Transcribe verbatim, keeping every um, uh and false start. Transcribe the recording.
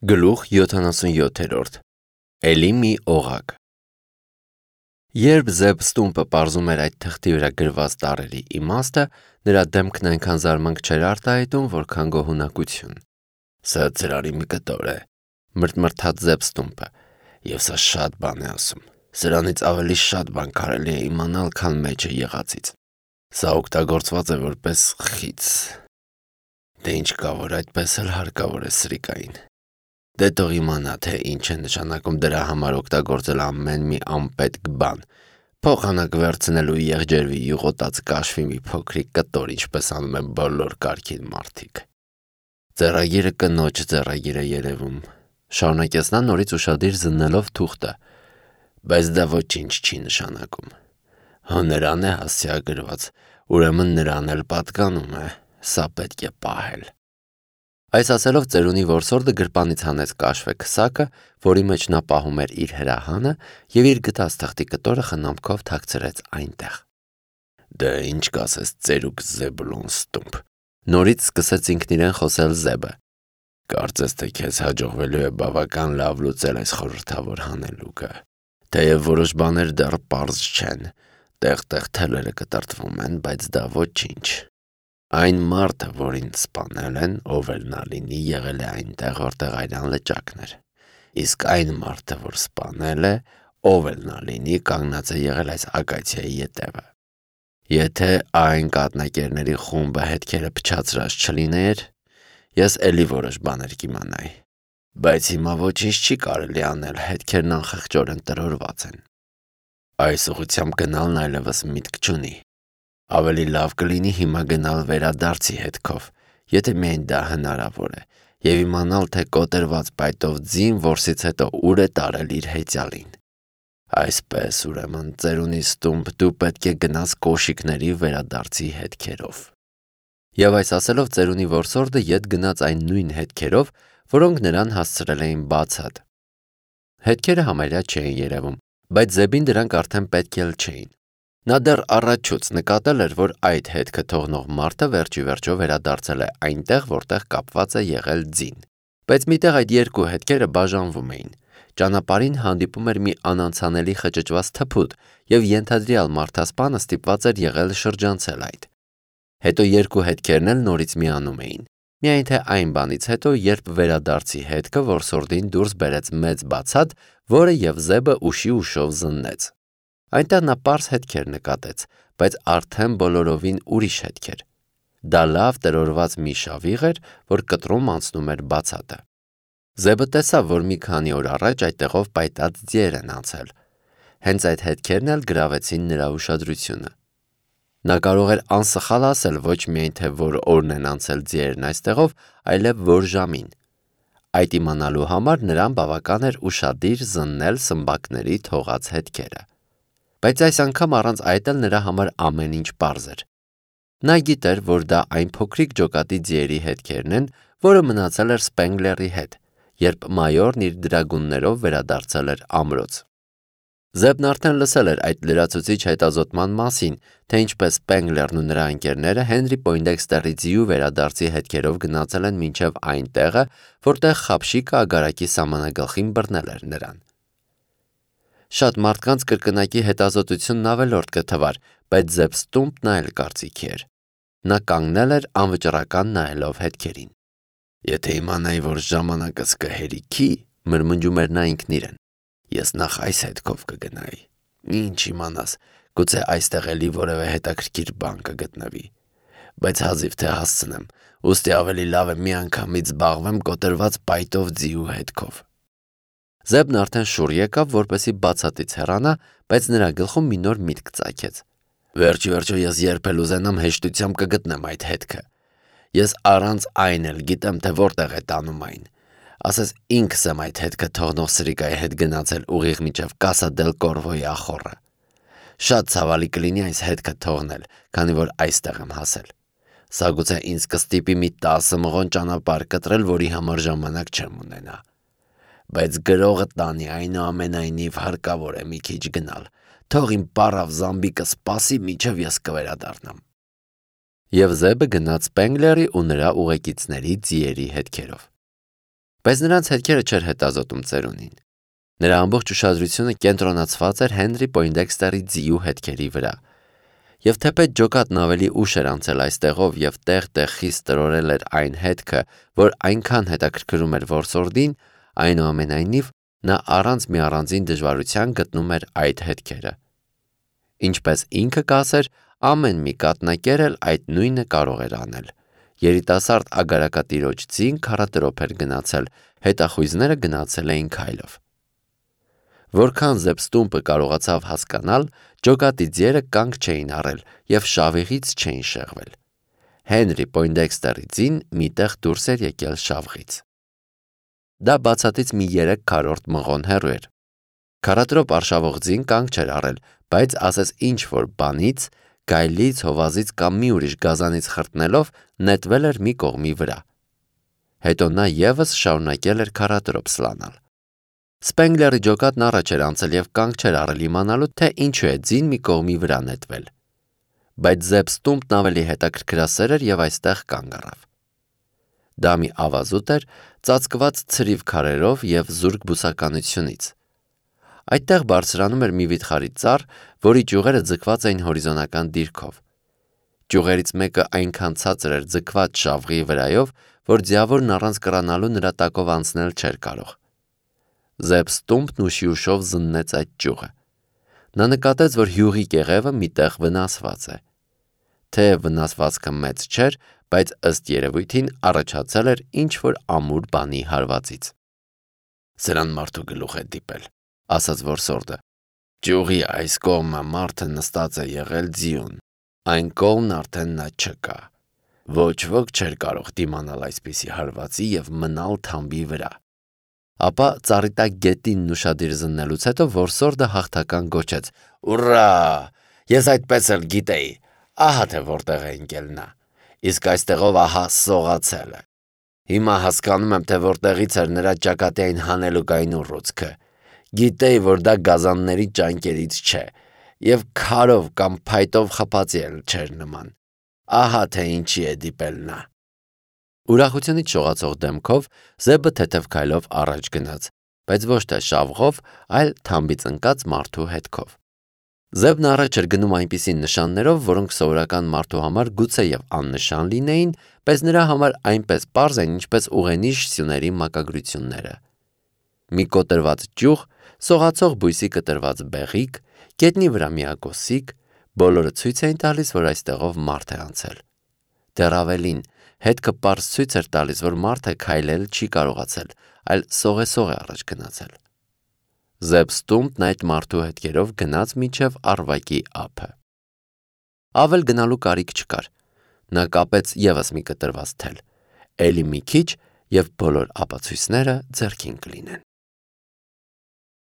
Գլուխ յոթանասունյոթերորդ Էլի մի օղակ Երբ Զեբ Ստումպը պարզում էր այդ թղթի վրա գրված տառերի իմաստը, նրա դեմքն այնքան զարմանք չէր արտահայտում, որքան գոհունակություն։ Սա ծրարի մի կտոր է, մրթմրթաց Զեբ Ստումպը, և սա շատ բան է ասում։ Սրանից ավելի շատ բան կարելի է իմանալ, քան մեջը եղածից։ Սա օգտագործված է որպես խից։ Դե ինչ կա, որ այդպես էլ հարկավոր է սրիկային։ Դե թող իմանա, թե ինչ է նշանակում դրա համար օգտագործել ամեն մի անպետք բան, փոխանակ վերցնելու եղջերվի յուղոտած կաշվի մի փոքրիկ կտոր, ինչպես անում են բոլոր կարգին մարդիկ։ Ձեռագիրը կնոջ ձեռագիր է երևում, շարունակեց նա նորից ուշադիր զննելով թուղթը, բայց դա ոչինչ չի նշանակում։ Հո նրան է հասցեագրված, ուրեմն նրան էլ պատկանում է, սա պետք է պահել։ Այս ասելով ծերունի որսորդը գրպանից հանեց կաշվե քսակը, որի մեջ նա պահում էր իր հրահանը, և իր գտած թղթի կտորը խնամքով թաքցրեց այնտեղ։ Դե ինչ կասես ծերուկ Զեբուլոն Ստումպ, նորից սկսեց ինքն իրեն խոսել Զեբը։ Կարծես թե քեզ հաջողվելու է բավական լավ լուծել այս խորհրդավոր հանելուկը, թեև որոշ բաներ դեռ պարզ չեն, տեղ-տեղ թելերը կտրտվում են, բայց դա ոչինչ։ Այն մարդը, որին սպանել են, ով էլ նա լինի, եղել է այնտեղ, որտեղ Արյան լճակն էր, իսկ այն մարդը, որ սպանել է, ով էլ նա լինի, կանգնած է եղել այս ակացիայի ետևը։ Եթե այն կաթնակերների խումբը հետքերը փչացրած չլիներ, ես էլի որոշ բաներ կիմանայի, բայց հիմա ոչինչ չի կարելի անել, հետքերն անխղճորեն տրորված են։ Այս ուղղությամբ գնալն այլևս միտք չունի։ Ավելի լավ կլինի հիմա գնալ վերադարձի հետքով, եթե միայն դա հնարավոր է, և իմանալ, թե կոտրված պայտով ձին որսից հետո ուր է տարել իր հեծյալին։ Այսպես, ուրեմն, ծերունի Ստումպ, դու պետք է գնաս կոշիկների վերադարձի հետքերով։ Եվ այս ասելով ծերունի որսորդը ետ գնաց այն նույն հետքերով, որոնք նրան հասցրել էին բացատ։ Հետքերը համարյա չէին երևում, բայց Զեբին դրանք արդեն պետք էլ չէին։ Նա դեռ առաջուց նկատել էր, որ այդ հետքը թողնող մարդը վերջի վերջո վերադարձել է այնտեղ, որտեղ կապված է եղել ձին։ Բայց միտեղ այդ երկու հետքերը բաժանվում էին։ Ճանապարհին հանդիպում էր մի անանցանելի խճճված թփուտ, և ենթադրյալ մարդասպանը ստիպված էր եղել շրջանցել այդ։ Հետո երկու հետքերն էլ նորից միանում էին։ Միայն թե այն բանից հետո, երբ վերադարձի հետքը որսորդին դուրս բերեց մեծ բացատ, որը և Զեբը ուշի ուշով զննեց։ Այնտեղ նա պարզ հետքեր նկատեց, բայց արդեն բոլորովին ուրիշ հետքեր։ Դա լավ տրորված մի շավիղ էր, որ կտրում անցնում էր բացատը։ Զեբը տեսավ, որ մի քանի օր առաջ այդտեղով պայտած ձիեր են անցել։ Հենց այդ հետքերն էլ գրավեցին նրա ուշադրությունը։ Նա կարող էր անսխալ ասել ոչ միայն թե որ օրն են անցել ձիերն այստեղով, այլև որ ժամին։ Այդ իմանալու համար նրան բավական էր ուշադիր զննել սմբակների թողած հետքերը։ Բայց այս անգամ առանց այդ էլ նրա համար ամեն ինչ պարզ էր։ Նա գիտեր, որ դա այն փոքրիկ ջոկատի ձիերի հետքերն են, որը մնացել էր Սպենգլերի հետ, երբ մայորն իր դրագուններով վերադարձել էր ամրոց։ Զեբն արդեն լսել էր այդ լրացուցիչ հետազոտման մասին, թե ինչպես Սպենգլերն ու նրա ընկերները Հենրի Պոյնդեքստերի ձիու վերադարձի հետքերով գնացել են մինչև այն տեղը, որտեղ խաբշիկը ագարակի սահմանագլխին բռնել էր նրան։ Շատ մարդկանց կրկնակի հետազոտությունն ավելորդ կթվար, բայց Զեբ Ստումպն այլ կարծիքի էր։ Նա կանգնել էր անվճռական նայելով հետքերին։ Եթե իմանայի, որ ժամանակս կհերիքի, մրմնջում էր նա ինքն իրեն, ես նախ այս հետքով կգնայի։ Ինչ իմանաս, գուցե այստեղ էլի որևէ հետաքրքիր բան կգտնվի։ Բայց հազիվ թե հասցնեմ, ուստի ավելի լավ է միանգամից զբաղվեմ կոտրված պայտով ձիու հետքով։ Զեբն արդեն շուռ եկավ, որպեսզի բացատից հեռանա, բայց նրա գլխում մի նոր միտք ծագեց։ Վերջ ի վերջո ես երբ էլ ուզենամ հեշտությամբ կգտնեմ այդ հետքը։ Ես առանց այն էլ գիտեմ, թե որտեղ է տանում այն։ Ասես ինքս եմ այդ հետքը թողնող սրիկայի հետ գնացել ուղիղ մինչև Կասա դել Կորվոյի ախոռը։ Շատ ցավալի կլինի այս հետքը թողնել, քանի որ այստեղ եմ հասել։ Սա գուցե ինձ կստիպի մի տասը մղոն ճանապարհ կտրել, որի համար ժամանակ չեմ ունենա։ Բայց գրողը տանի, այնուամենայնիվ հարկավոր է մի քիչ գնալ, թող իմ պառավ Զամբիկը սպասի, մինչև ես կվերադառնամ։ Եվ Զեբը գնաց Սպենգլերի ու նրա ուղեկիցների ձիերի հետքերով։ Բայց նրանց հետքերը չէր հետազոտում ծերունին։ Նրա ամբողջ ուշադրությունը կենտրոնացված էր Հենրի Պոյնդեքստերի ձիու հետքերի վրա։ Եվ թեպետ ջոկատն ավելի ուշ էր անցել այստեղով և տեղ-տեղ խիստ տրորել էր այն հետքը, որ այնքան հետաքրքրում էր որսորդին, այնուամենայնիվ նա առանց մի առանձին դժվարության գտնում էր այդ հետքերը։ Ինչպես ինքը կասեր, ամեն մի կաթնակեր էլ այդ նույնը կարող էր անել։ Երիտասարդ ագարակատիրոջ ձին քառատրոփ էր գնացել, հետախույզները գնացել էին քայլով։ Որքան Զեբստումպը կարողացավ հասկանալ, ջոկատի ձիերը կանգ չէին առել և շավիղից չէին շեղվել։ Հենրի Պոյնդեքստերի ձին մի տեղ դուրս էր եկել շավղից։ Դա բացատից մի երեք քառորդ մղոն հեռու էր։ Քառատրոփ արշավող ձին կանգ չէր առել, բայց ասես ինչ-որ բանից, գայլից, հովազից կամ մի ուրիշ գազանից խրտնելով նետվել էր մի կողմի վրա։ Հետո նա ևս շարունակել էր քառատրոփ սլանալ։ Սպենգլերի ջոկատն առաջ էր անցել և կանգ չէր առել իմանալու, թե ինչու է ձին մի կողմի վրա նետվել։ Բայց Զեբստումպն ավելի հետաքրքրասեր էր և այստեղ կանգ առավ։ Դա մի ավազուտ էր, ծածկված ցրիվ քարերով և զուրկ բուսականությունից։ Այդտեղ բարձրանում էր մի վիթխարի ծառ, որի ճյուղերը ձգված էին հորիզոնական դիրքով։ Ճյուղերից մեկը այնքան ցածր էր ձգված շավղի վրայով, որ ձիավորն առանց կռանալու նրա տակով անցնել չէր կարող։ Զեբստումպն ուշի ուշով զննեց այդ ճյուղը։ Նա նկատեց, որ հյուղի կեղևը մի տեղ վնասված է։ Թեև վնասվածքը մեծ չէր, բայց ըստ երևույթին առաջացել էր ինչ-որ ամուր բանի հարվածից։ «Սրան մարդու գլուխ է դիպել», ասաց որսորդը։ «Ճյուղի այս կողմը մարդը նստած է եղել ձիուն, այն կողմն արդեն նա չկա։ Ոչ ոք չէր կարող դիմանալ այսպիսի հարվածի և մնալ թամբի վրա»։ Ապա ծառի տակ գետինն ուշադիր զննելուց հետո որսորդը հաղթական գոչեց. «Ուռա! Ես այդպես էլ գիտեի, ահա թե որտեղ է ընկել նա, իսկ այստեղով ահա սողացել է։ Հիմա հասկանում եմ, թե որտեղից էր նրա ճակատի այն հանելուկային ուռուցքը։ Գիտեի, որ դա գազանների ճանկերից չէ, և քարով կամ փայտով խփածի էլ չէր նման։ Ահա թե ինչի է դիպել նա»։ Ուրախությունից շողացող դեմքով Զեբը թեթև քայլով առաջ գնաց, բայց ոչ թե շավղով, այլ թամբից ընկած մարդու հետքով։ Զեբն առաջ էր գնում այնպիսի նշաններով, որոնք սովորական մարդու համար գուցեև աննշան լինեին, բայց նրա համար այնպես պարզ են, ինչպես ուղենիշ սյուների մակագրությունները։ Մի կոտրված ճյուղ, սողացող բույսի կտրված բեղիկ, գետնի վրա միակոսիկ, բոլորը ցույց էին տալիս, որ այստեղով մարդ է անցել։ Դեռ ավելին, հետքը պարզ ցույց էր տալիս, որ մարդը քայլել չի կարողացել, այլ սողեսող է առաջ գնացել։ Զեբստումպն այդ մարդու հետքերով գնաց մինչև Առվակի ափը։ Ավել գնալու կարիք չկար։ Նա կապեց ևս մի կտրված թել։ Էլի մի քիչ, և բոլոր ապացույցները ձեռքին կլինեն։